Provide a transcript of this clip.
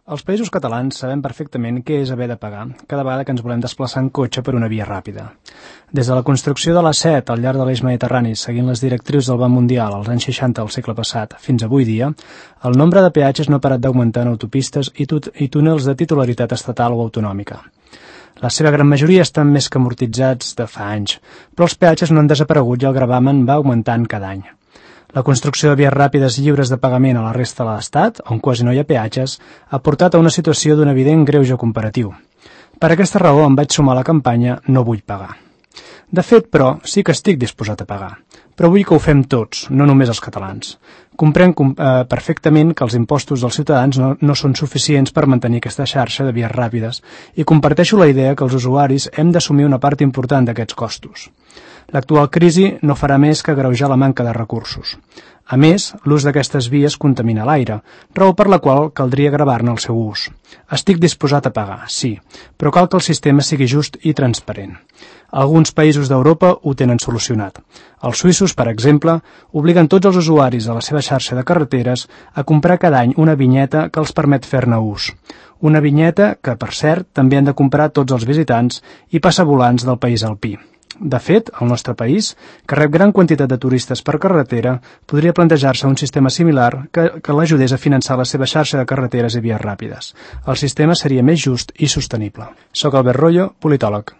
Els països catalans sabem perfectament què és haver de pagar cada vegada que ens volem desplaçar en cotxe per una via ràpida. Des de la construcció de l'A7 al llarg de l'eix mediterrani, seguint les directrius del Banc Mundial als anys 60 del segle passat fins avui dia, el nombre de peatges no ha parat d'augmentar en autopistes i túnels de titularitat estatal o autonòmica. La seva gran majoria estan més que amortitzats de fa anys, però els peatges no han desaparegut i el gravamen va augmentant cada any. La construcció de vies ràpides lliures de pagament a la resta de l'Estat, on quasi no hi ha peatges, ha portat a una situació d'un evident greuge comparatiu. Per aquesta raó em vaig sumar a la campanya No vull pagar. De fet, però, sí que estic disposat a pagar, però vull que ho fem tots, no només els catalans. Comprenc perfectament que els impostos dels ciutadans no són suficients per mantenir aquesta xarxa de vies ràpides i comparteixo la idea que els usuaris hem d'assumir una part important d'aquests costos. L'actual crisi no farà més que agreujar la manca de recursos. A més, l'ús d'aquestes vies contamina l'aire, raó per la qual caldria gravar-ne el seu ús. Estic disposat a pagar, sí, però cal que el sistema sigui just i transparent. Alguns països d'Europa ho tenen solucionat. Els suïssos, per exemple, obliguen tots els usuaris de la seva xarxa de carreteres a comprar cada any una vinyeta que els permet fer-ne ús. Una vinyeta que, per cert, també han de comprar tots els visitants i passavolants del país alpí. De fet, el nostre país, que rep gran quantitat de turistes per carretera, podria plantejar-se un sistema similar que l'ajudés a finançar la seva xarxa de carreteres i vies ràpides. El sistema seria més just i sostenible. Soc Albert Royo, politòleg.